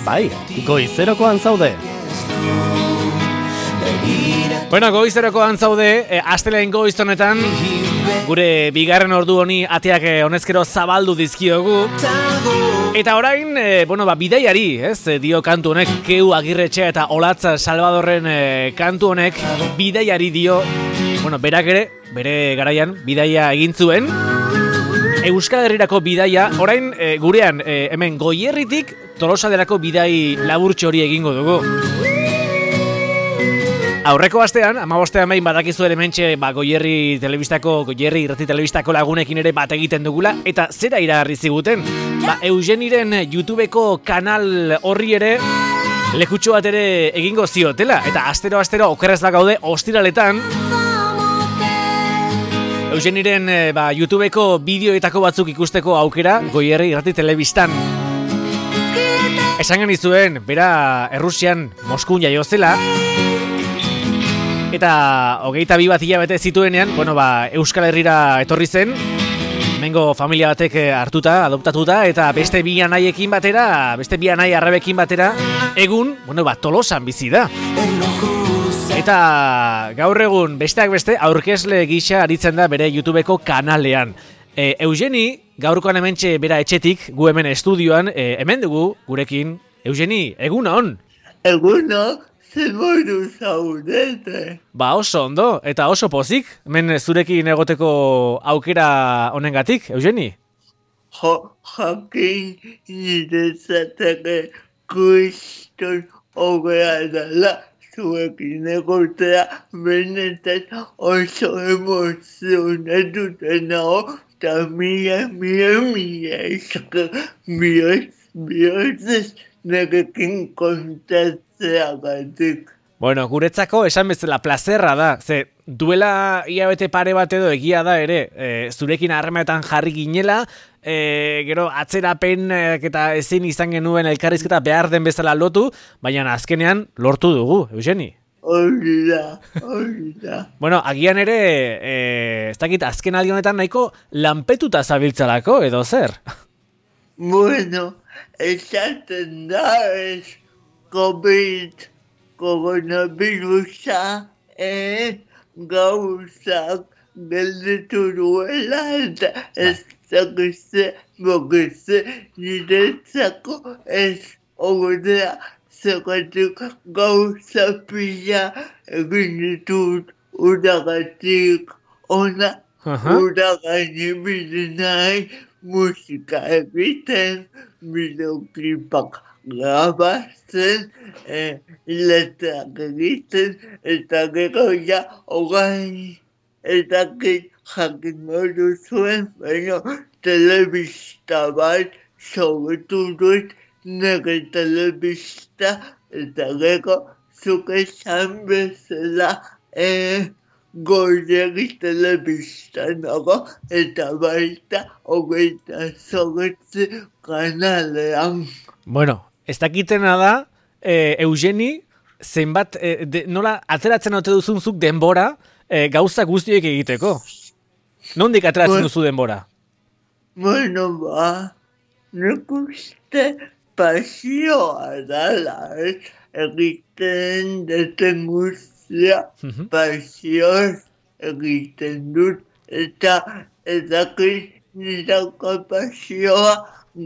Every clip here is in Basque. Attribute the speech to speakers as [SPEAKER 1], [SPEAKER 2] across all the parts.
[SPEAKER 1] Bai, goizerokoan zaude. Bueno, goizerokoan zaude, astelehen goiz honetan, gure bigarren ordu honi ateak honezkero zabaldu dizkiogu. Eta orain, bidaiari, dio kantu honek, Keu Agirretxea eta Olatza Salvadorren kantu honek, bidaiari dio, berak ere, bere garaian, bidaia egin zuen. Euskal Herrirako bidaia, orain gurean, hemen Goierritik, Tolosaderako bidai laburtxo hori egingo dugu. Aurreko astean, 15 behin badakizu ere mentxe, Goierri irrati telebistako lagunekin ere bat egiten dugula, eta zera iragarri ziguten. Eugeniren YouTubeko kanal horri ere lekutxo bat ere egingo ziotela, eta astero okerrez bagaude ostiraletan. Eugeniren YouTubeko bideoetako batzuk ikusteko aukera Goierri irrati telebistan. Esan genizuen, bera Errusian Moskun jaio zela, eta 22 bat hilabete zituenean, Euskal Herrira etorri zen, mengo familia batek hartuta, adoptatuta, eta beste bi anaiekin batera, beste bi anai arrebekin batera, egun, Tolosan bizi da. Eta gaur egun, besteak beste, aurkezle gisa aritzen da bere YouTubeko kanalean. Eugeni, gaurkoan hementxe bera etxetik, gu hemen estudioan, hemen dugu gurekin. Eugeni, egun on?
[SPEAKER 2] Eguno, zer modu zaudete?
[SPEAKER 1] Oso ondo, eta oso pozik, hemen zurekin egoteko aukera honengatik, Eugeni?
[SPEAKER 2] Jakin niretzateke kriston hogea dela zuekin egotea, benetan oso emozionatuten nago, eta mila esker bihotzez nerekin kontatzeagatik.
[SPEAKER 1] Guretzako esan bezala plazerra da, ze duela hilabete pare bat edo egia da ere, zurekin harremanetan jarri ginela, gero atzerapen eta ezin izan genuen elkarrizketa behar den bezala lotu, baina azkenean lortu dugu, Eugeni.
[SPEAKER 2] Hori da.
[SPEAKER 1] Agian ere, ez dakit azken aldi honetan nahiko lanpetuta zabiltzalako, edo zer?
[SPEAKER 2] Esaten da coronavirusa gauzak gelditu duela eta ez dakize niretzako ez ogodea zekatik gauza pila egin ditut uragatik ona uragani bidenai musika egiten, bideoklipak grabatzen, letrak egiten, eta gero hogei, eta jakin modu zuen, telebista bat sobetu dut, nire telebista, eta gero zuk esan bezala, Goierri telebistan nago, eta baita 28 kanalean.
[SPEAKER 1] Ez dakitena da, Eugeni, zenbat, nola ateratzen ote duzunzuk denbora gauza guztiek egiteko? Nondik ateratzen duzu denbora?
[SPEAKER 2] Nik uste pasioa dala, egiten deten pasioz egiten dut, eta nirako pasioa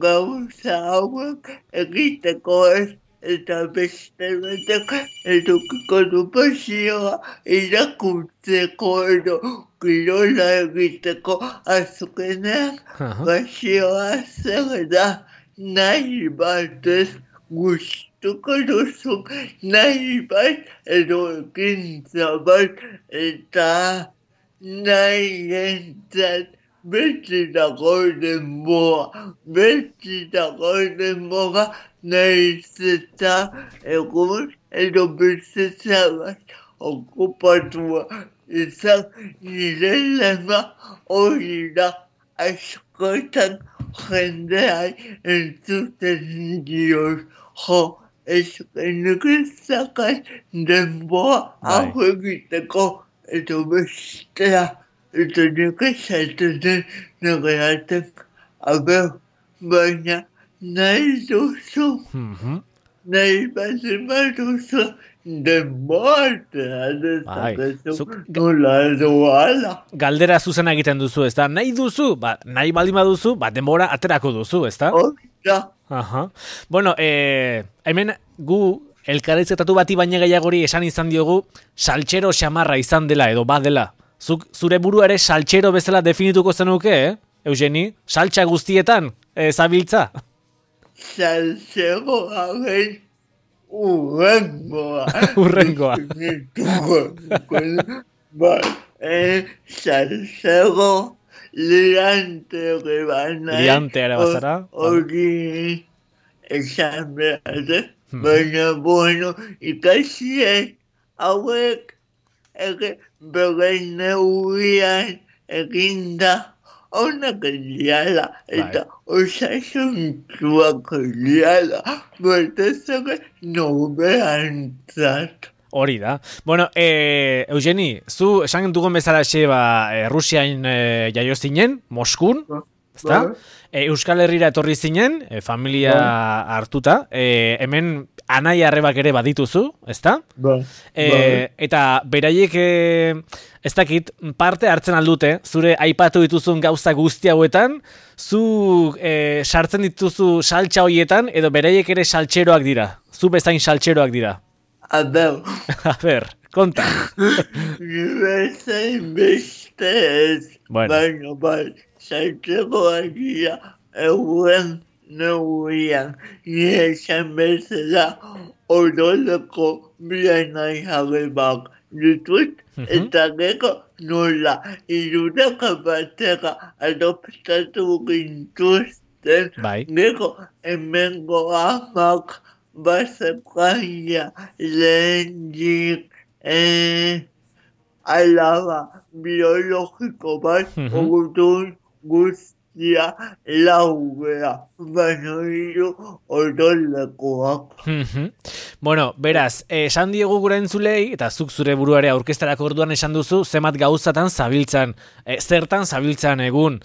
[SPEAKER 2] gauza hauek egiteko ez, eta beste batek edukiko du pasioa irakurtzeko edo kirola egiteko, azkenean pasioa zer da nahi batez gustuko duzuk, nahi bat edo ekintza bat, eta nahi entzat beti dago denbora, nahiz eta egun edo bizitza bat okupatua izan, nire lema hori da askotan jendeai entzuten dioz, eskenik izakai denboa hau egiteko, edo bestea, edo nik esaten nire atek, baina nahi duzu nahi baldin baduzu, denbora dezakezu nola edo ala.
[SPEAKER 1] Galdera zuzena egiten duzu, ezta? Nahi duzu? Nahi baldin baduzu, denbora aterako duzu, ezta?
[SPEAKER 2] Hori.
[SPEAKER 1] Aha. Bueno, hemen gu elkarrizketatu bati baina gehiagori esan izan diogu saltxero xamarra izan dela edo badela. Zure burua ere saltxero bezala definituko zenuke, Eugeni? Saltxa guztietan, zabiltza?
[SPEAKER 2] Saltxero hagin urrengoa.
[SPEAKER 1] Urrengoa.
[SPEAKER 2] Saltxero liante ere banai.
[SPEAKER 1] Liante ere bazara.
[SPEAKER 2] Hori esan behar, baina bueno, ikasiek hauek ere beren neurian eginda onak diala eta osasuntsuak diala, batez ere norberantzat.
[SPEAKER 1] Hori da. Bueno, Eugeni, zu esan dugun bezala Rusiain jaio zinen, Moskun, ezta? Euskal Herrira etorri zinen, familia hartuta, hemen anai arrebak ere badituzu, ezta? Eta beraiek, ez dakit, parte hartzen aldute, zure aipatu dituzun gauza guzti hauetan, zu sartzen dituzu saltxa hoietan, edo beraiek ere saltxeroak dira, zu bezain saltxeroak dira.
[SPEAKER 2] A
[SPEAKER 1] ber, konta.
[SPEAKER 2] Bezain beste ez, baina saltxeroak dira, euren neurian, esan bezala odoleko bianai jarrebak ditut, eta gero nola irudaka batera adoptatu gintuzten, gero hemengo amak bazekaia lehendik alaba biologiko bat orduan guztia laugea, baina hiru odolekoak.
[SPEAKER 1] Bueno, beraz, esan diegu gure entzulei, eta zuk zure buruare aurkeztarako orduan esan duzu, zemat gauzatan zabiltzan, zertan zabiltzan egun.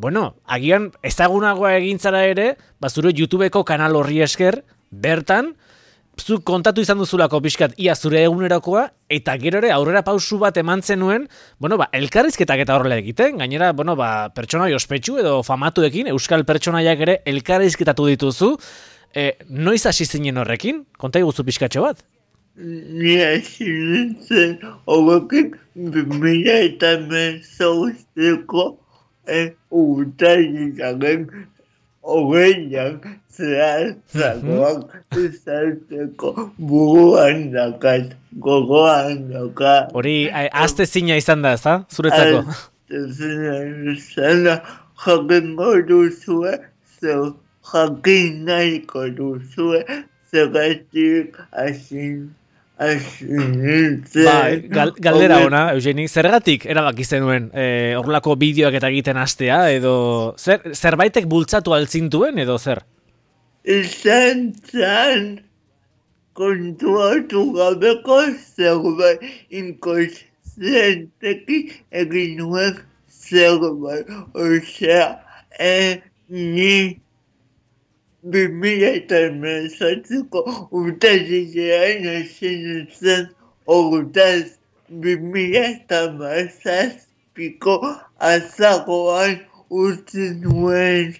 [SPEAKER 1] Bueno, agian ezagunagoa egintzara ere, zure YouTubeko kanal horri esker, bertan, zuk kontatu izan duzulako pixkat ia zure egunerokoa, eta gero ere aurrera pausu bat eman zenuen, elkarrizketak eta horrela egiten, gainera, pertsonai ospetsu edo famatuekin, euskal pertsonaiak ere elkarrizketatu dituzu, noiz hasi zinen horrekin? Konta iguzu pixkatxo bat?
[SPEAKER 2] Ni hasi nintzen horrekin 2018ko urtailaren hogeian zehatzakoak izateko buruan dakat, gogoan dakat.
[SPEAKER 1] Hori azte zina izan da, ezta? Zuretzako?
[SPEAKER 2] Azte zina izan da, jakingo duzue, jakin nahiko duzue, zergatik hasi nintzen.
[SPEAKER 1] Galdera ona, Eugeni, zergatik erabaki zenuen horrelako bideoak eta egiten hastea, edo zerbaitek bultzatu altzintuen, edo zer?
[SPEAKER 2] Izan zan kontuatu gabeko zerbait inkonsienteki egin nuen zerbait. Osea, ni 2018ko urtailean hasi nintzen, hortaz 2017ko azaroan utzi nuen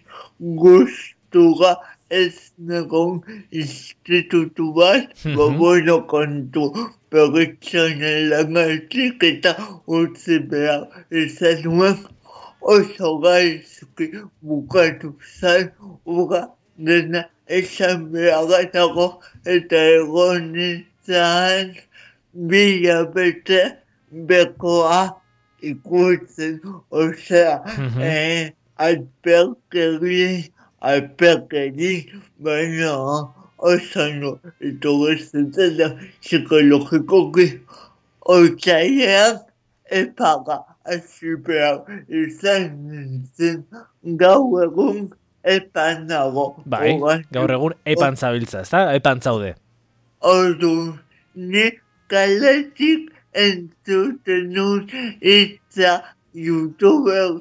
[SPEAKER 2] gustura ez negon institutu bat, bueno kontu pertsonalagatik eta utzi behar izan nuen, oso gaizki bukatu zan, dena esan beharretako eta egon nintzen bilabete bekoa ikutzen, osea, alperkeri, baina osano etorrezetzen da psikologikoki otsailean epaga hasi behar izan nintzen gaur egun epan nago.
[SPEAKER 1] Bai, gaur egun epan zabiltza, ezta? Epan zaude.
[SPEAKER 2] Ordu, ni kaletik entzuten nun itza YouTuber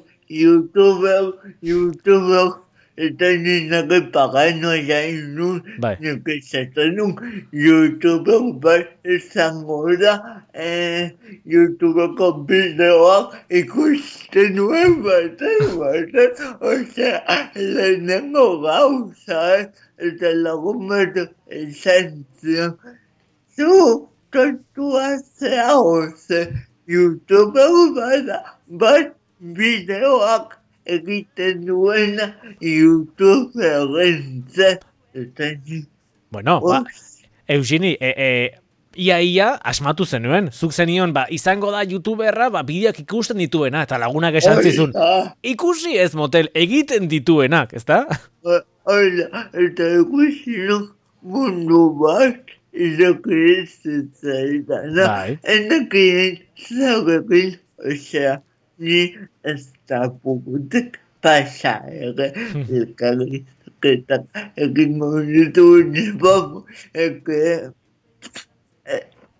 [SPEAKER 2] eta nire paganoa jain nun,
[SPEAKER 1] Bai.
[SPEAKER 2] nire esaten nun, YouTube bat izango da, YouTubeko bideoak ikusten nuen baten, osea, lehenengo gauza, eta lagun bat esan zion, zu, tontua zea oze, YouTubeko bat bideoak egiten duena YouTuberen eta ni.
[SPEAKER 1] Bueno, Eugeni, ia asmatu zenuen, zuk zenion, izango da YouTuberra, bideoak ikusten dituena, eta lagunak esan zizun. Ikusi ez motel, egiten dituenak, ezta?
[SPEAKER 2] Hola, eta ikusi nuk mundu bat, izokirizitzaidan, enakien zagekin, osea, ni ez da pugutek pasa ere, elkarrizketak egingo dituen bamo,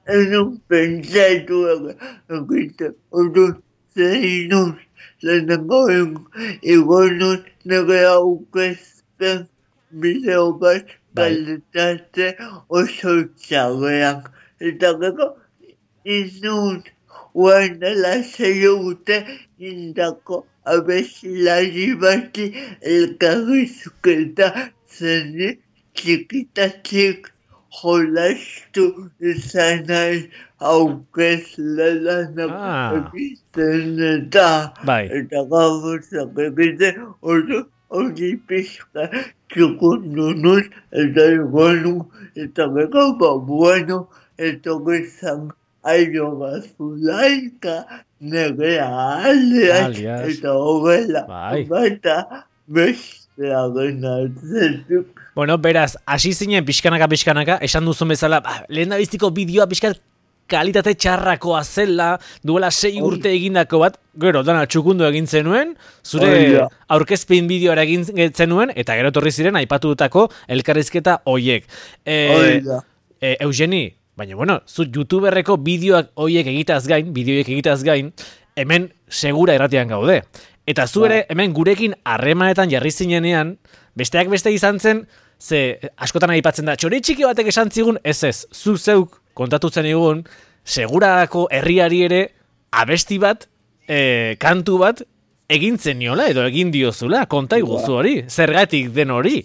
[SPEAKER 2] enun pentsatu egiten, ordu zeinuz, lehenengo egonun nire aukezpen bideo bat kalitate oso txagean. Eta gero, izun, guanela zeiute indako abesilari bati elkarrizketa zeni txikitatik jolastu izan nahi aukezlelanak egiten eta gabuzak egiten hori pixka txukundunuz eta egonu eta gero bueno eta gizan aio bazulaika nire alias eta hogela bata bestearen altzetuk.
[SPEAKER 1] Bueno, beraz, hasi zinen pixkanaka, esan duzun bezala, lehen da biztiko bideoa pixkat kalitate txarrakoa zela, duela 6 urte egindako bat, gero, dana txukundu egin zenuen, zure aurkezpin bideoara egin zenuen, eta gero torri ziren aipatutako elkarrizketa hoiek. Eugeni, baina, bueno, zu YouTuberreko bideoak hoiek egitaz gain, hemen segura irratian gaude. Eta zu ere, hemen gurekin harremanetan jarri zinenean, besteak beste izan zen, ze askotan aipatzen da, txori txiki batek esan zigun, ez, zu zeuk kontatutzen egun, segurako herriari ere abesti bat, kantu bat, egin zeniola edo egin diozula, konta iguzu hori, zergatik den hori?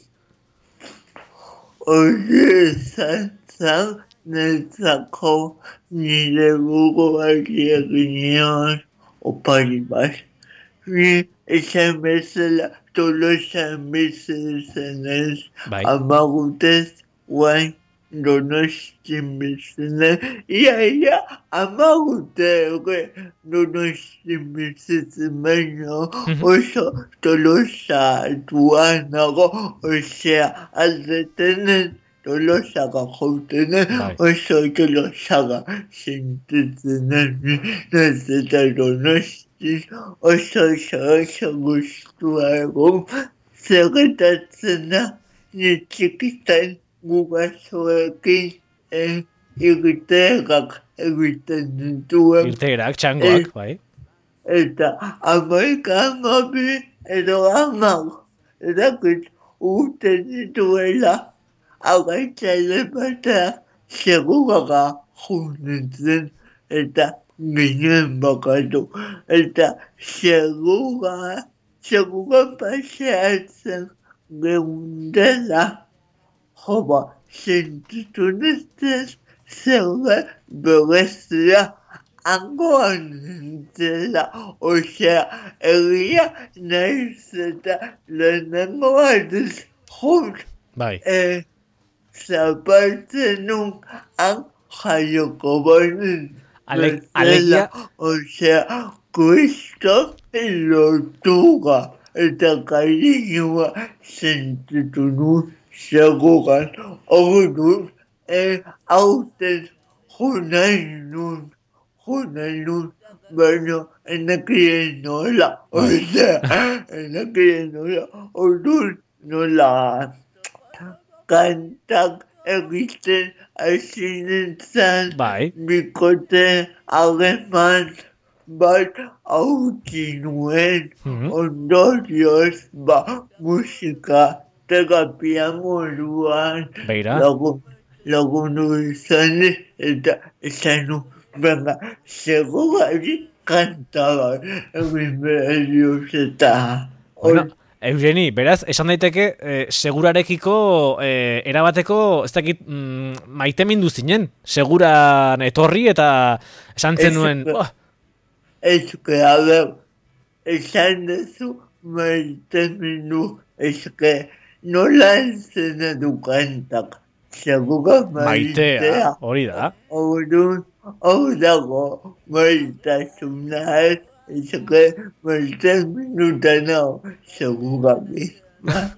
[SPEAKER 2] Hori zantzak netzako nire buruari egin opari bat. Ni esan bezala Tolosan bizizenez, amagutez guain Donostin bizizenez, ia amagute Donostin bizitzen baino oso Tolosa duanago, osea aldetenen Tolosaka joutenen, oso Tolosaga sentitzenen, nezeta Donostin oso guztua egon, zerretatzen da, ni txikitan gugazoekin irteerak egiten dituen.
[SPEAKER 1] Irteerak, txangoak, bai.
[SPEAKER 2] Eta amabi edo edakit uten dituela, agaitzaile batak seguraga junetzen eta ginen bakatu, eta segura paseatzen geundela, sentitu neztez zerbe berezia angoan nintzela, osea, egia nahiz eta lehenengo batez jut, zapaltzen nun jaioko banin,
[SPEAKER 1] Alegia,
[SPEAKER 2] osea, Kristo lotuga eta cariñoa sentitu nun seguran orduan hauten junain nun, baina enakien nola, osea, orduan nola kantak egiten hasi nintzen, bikote aleman bat hautsi nuen, ondorioz, musika terapia moduan
[SPEAKER 1] Beira.
[SPEAKER 2] lagundu izan eta esan nu, venga, segurari kantaba, egin behar dioz eta...
[SPEAKER 1] Bueno, Eugeni, beraz, esan daiteke, segurarekiko erabateko, ez dakit, maitemindu zinen, seguran etorri eta esan zenuen...
[SPEAKER 2] Ez que, a ber, esan dezu maitemindu, ez que nola entzena du kantak, segura maitea.
[SPEAKER 1] Hori da.
[SPEAKER 2] Hor dago maitasuna ez, es que maitemindu nao, segura misma.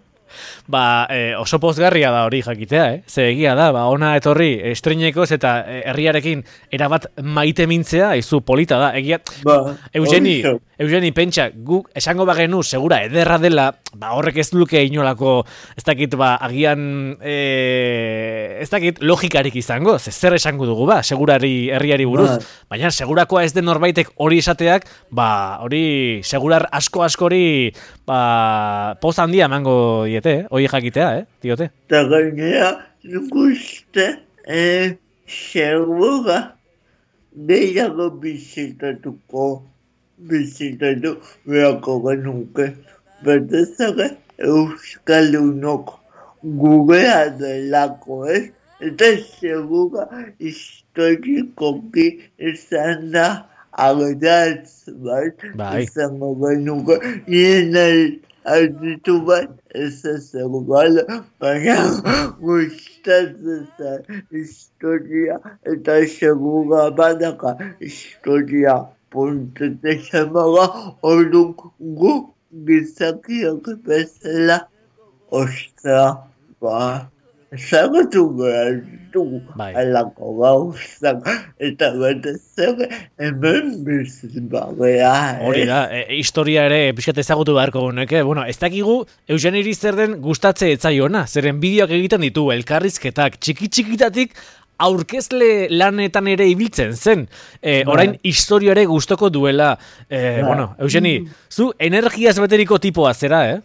[SPEAKER 1] Oso pozgarria da hori jakitea, Ze egia da, ona etorri estreinekoz eta herriarekin erabat maite mintzea, izu polita da, egia... Eugeni, pentsa, guk esango bagenu, segura ederra dela, horrek ez luke inolako, ez dakit, agian, ez dakit, logikarik izango, zer esango dugu, segurari herriari buruz, baina segurakoa ez den norbaitek hori esateak, hori segurar askori, poz handia emango diete, hori jakitea, diote.
[SPEAKER 2] Eta gainera, nik uste, segura gehiago bizitatu beharko genuke. Betezare euskaldunok gurea delako ez, eta segura historikoki izan da ageratz bat izango genuke. Nien alditu bat ez segura, baina gustatzen historia eta segura badaka historia puntete xamaga orduan gu gizakiak bezala ostra, zagatu behar du alako gauzak eta betez hemen bizibagea.
[SPEAKER 1] Hori da, historia ere pixkat ezagutu beharko guneke. Ez dakigu Eugeniri zer den gustatze etzaiona, zeren bideoak egiten ditu elkarrizketak txiki-txikitatik aurkezle lanetan ere ibiltzen zen. Orain historiare gustoko duela. Eugeni, zu energiaz beteriko tipoa zera,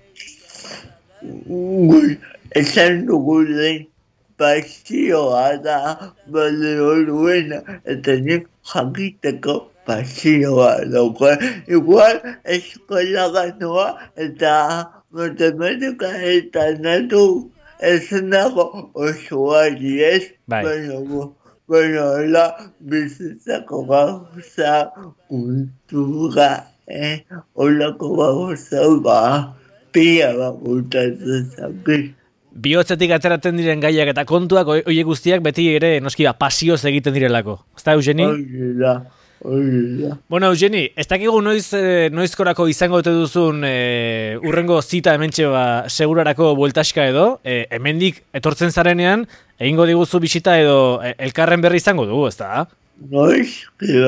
[SPEAKER 2] Esan dugu den pasioa da balio duena, eta nik jakiteko pasioa dauka. Igual eskola ganoa eta matematika eta natu ez nago osoari ez, baina hola bizitzako gauza, kultura, holako gauza pia gutatzen zakit.
[SPEAKER 1] Bihotzetik ateratzen diren gaiak eta kontuak horiek guztiak beti ere noski pasioz egiten direlako. Ezta, Eugeni?
[SPEAKER 2] Hori da.
[SPEAKER 1] Eugeni, ez dakigu noizkorako izango dute duzun urrengo zita hementxe segurarako bueltaska edo, hemendik etortzen zarenean, egingo diguzu bisita edo elkarren berri izango dugu, ezta?
[SPEAKER 2] Noizki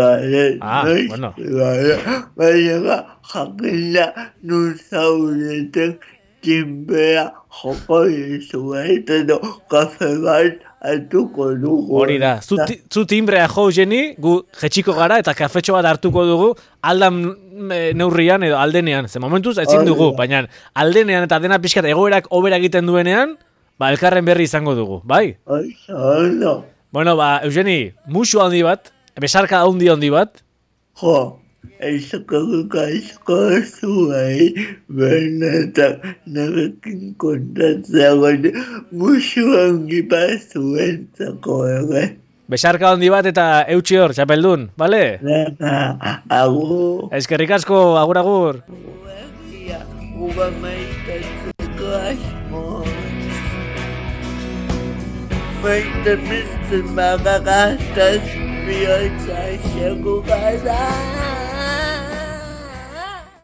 [SPEAKER 2] baina jakila nuzauretek tinbea joko izuet edo kafe bat hartuko dugu.
[SPEAKER 1] Hori da, zu timbrea jo, Eugeni, gu jetxiko gara eta kafetxo bat hartuko dugu aldan neurrian edo aldenean. Ze momentuz ezin dugu, baina aldenean eta dena pixkat egoerak hobera egiten duenean, elkarren berri izango dugu, bai? Eugeni, musu handi bat, besarka handi bat.
[SPEAKER 2] Eizako zuai, benetan narekin kontatzea gode, musu hangi bat zuentzako ere.
[SPEAKER 1] Besarka handi bat eta eutxi hor, txapeldun, bale?
[SPEAKER 2] Agur.
[SPEAKER 1] Eskerrik asko, agur.
[SPEAKER 2] Uga maitatzeko asmoz. Maite bizten magagaztaz, bihotza segura da.